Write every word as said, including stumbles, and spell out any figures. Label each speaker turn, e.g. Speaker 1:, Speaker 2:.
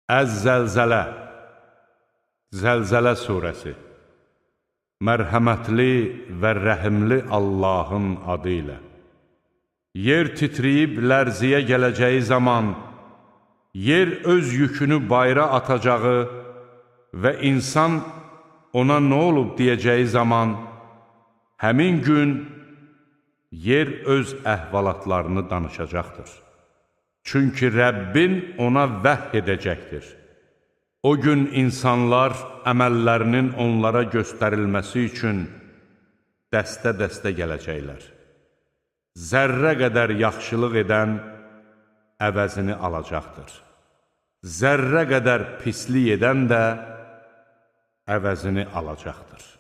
Speaker 1: Əz-Zəlzələ, Zəlzələ surəsi. Mərhəmətli və rəhimli Allahın adı ilə. Yer titriyib lərziyə gələcəyi zaman, yer öz yükünü bayra atacağı və insan ona nə olub deyəcəyi zaman, həmin gün yer öz əhvalatlarını danışacaqdır. Çünki Rəbbin ona vəhy edəcəkdir. O gün insanlar əməllərinin onlara göstərilməsi üçün dəstə-dəstə gələcəklər. Zərrə qədər yaxşılıq edən əvəzini alacaqdır. Zərrə qədər pislik edən də əvəzini alacaqdır.